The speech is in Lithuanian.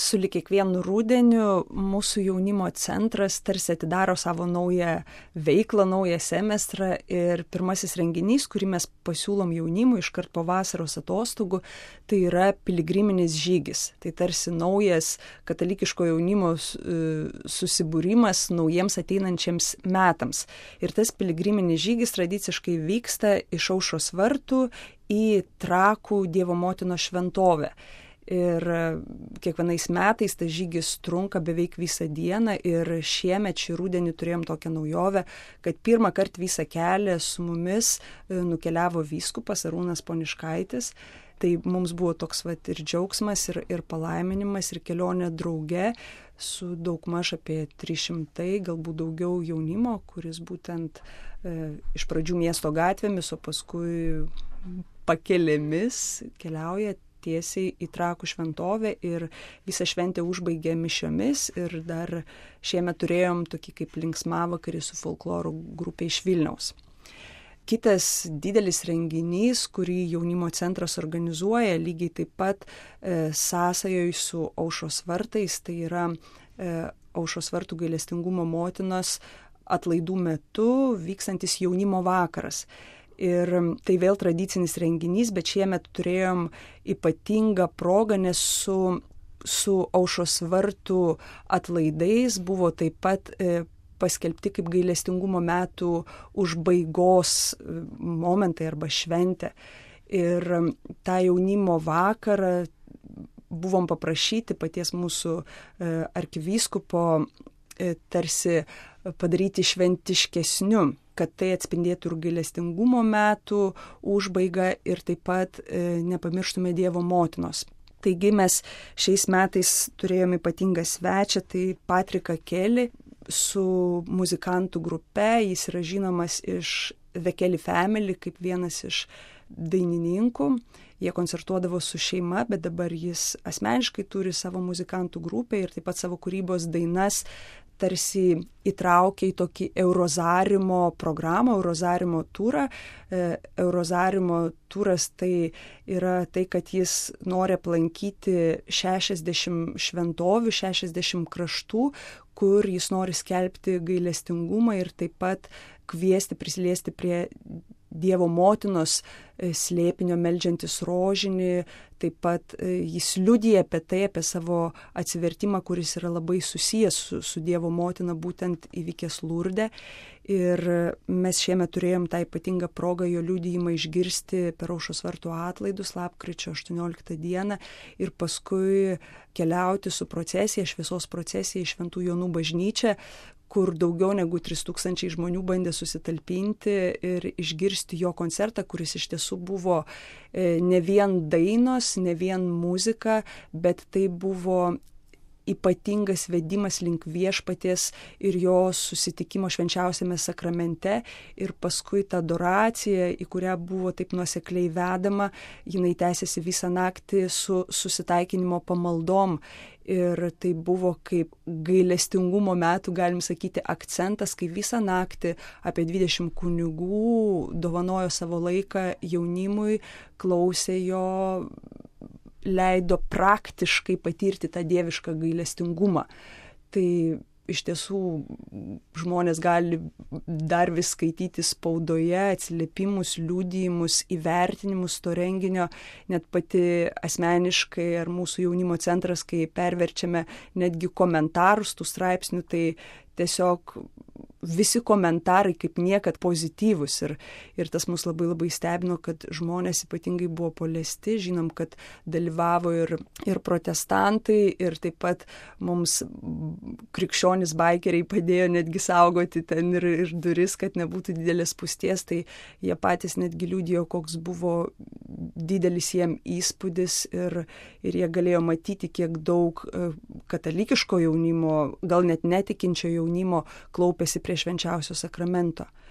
sulig kiekvienu rudeniu mūsų jaunimo centras tarsi atidaro savo naują veiklą, naują semestrą ir pirmasis renginys, kurį mes pasiūlom jaunimui iškart po vasaros atostogų, tai yra piligriminis žygis. Tai tarsi naujas katalikiško jaunimo susibūrimas naujiems ateinančiams metams. Ir tas piligriminis žygis tradiciškai vyksta iš Aušros vartų į Trakų Dievo motinos šventovę. Ir kiekvienais metais tas žygis trunka beveik visą dieną ir šiemet šį rudenį turėjom tokią naujovę, kad pirmą kartą visą kelią su mumis nukeliavo vyskupas Arūnas Poniškaitis. Tai mums buvo toks ir džiaugsmas, ir palaiminimas, ir kelionė drauge su daugmaž apie 300, galbūt daugiau jaunimo, kuris būtent iš pradžių miesto gatvėmis, o paskui pakelėmis keliauja tiesiai į Trakų šventovę ir visą šventę užbaigė mišiomis ir dar šiemet turėjom tokį kaip linksmavakarį su folkloro grupė iš Vilniaus. Kitas didelis renginys, kurį jaunimo centras organizuoja, lygiai taip pat sąsajoj su Aušros vartais, tai yra Aušros vartų gailestingumo motinos atlaidų metu vykstantis jaunimo vakaras. Ir tai vėl tradicinis renginys, bet šiemet turėjom ypatingą progą, nes su Aušros vartų atlaidais buvo taip pat paskelbti kaip gailestingumo metų užbaigos momentai arba šventė. Ir tą jaunimo vakarą buvom paprašyti paties mūsų arkivyskupo tarsi padaryti šventiškesniu, kad tai atspindėtų ir gailestingumo metų užbaigą ir taip pat nepamirštume Dievo motinos. Taigi mes šiais metais turėjome ypatingą svečią, tai Patriką Kelly su muzikantų grupe, jis yra žinomas iš The Kelly Family kaip vienas iš dainininkų. Jie koncertuodavo su šeima, bet dabar jis asmeniškai turi savo muzikantų grupę ir taip pat savo kūrybos dainas tarsi įtraukė į tokį Eurozarimo programą, Eurozarimo turą. Eurozarimo turas tai yra tai, kad jis nori aplankyti 60 šventovių, 60 kraštų, kur jis nori skelbti gailestingumą ir taip pat kviesti, prisiliesti prie Dievo motinos slėpinio meldžiantis rožinį, taip pat jis liudija apie tai, apie savo atsivertimą, kuris yra labai susijęs su Dievo motina, būtent įvykęs Lurde. Ir mes šiemet turėjom tą ypatingą progą jo liudijimą išgirsti per Aušros vartų atlaidus lapkričio 18 dieną ir paskui keliauti su procesija, šviesos procesija į Šventų Jonų bažnyčią, kur daugiau negu 3000 žmonių bandė susitalpinti ir išgirsti jo koncertą, kuris iš tiesų buvo ne vien dainos, ne vien muzika, bet tai buvo ypatingas vedimas link viešpaties ir jo susitikimo švenčiausiame sakramente ir paskui ta adoracija, į kurią buvo taip nuosekliai vedama, jinai tęsiasi visą naktį su susitaikinimo pamaldom. Ir tai buvo kaip gailestingumo metų, galim sakyti, akcentas, kai visą naktį apie 20 kunigų dovanojo savo laiką jaunimui, klausė jo, leido praktiškai patirti tą dievišką gailestingumą. Tai iš tiesų žmonės gali dar vis skaityti spaudoje atsiliepimus, liudijimus, įvertinimus to renginio, net pati asmeniškai ar mūsų jaunimo centras, kai perverčiame netgi komentarus tų straipsnių, tai tiesiog visi komentarai kaip niekad pozityvus ir tas mus labai labai stebino, kad žmonės ypatingai buvo paliesti, žinom, kad dalyvavo ir protestantai ir taip pat mums krikščionys baikeriai padėjo netgi saugoti ten ir duris, kad nebūtų didelės spūsties, tai jie patys netgi liudijo, koks buvo didelis jiem įspūdis ir jie galėjo matyti, kiek daug katalikiško jaunimo, gal net netikinčio jaunimo klaupėsi prie švenčiausio sakramento.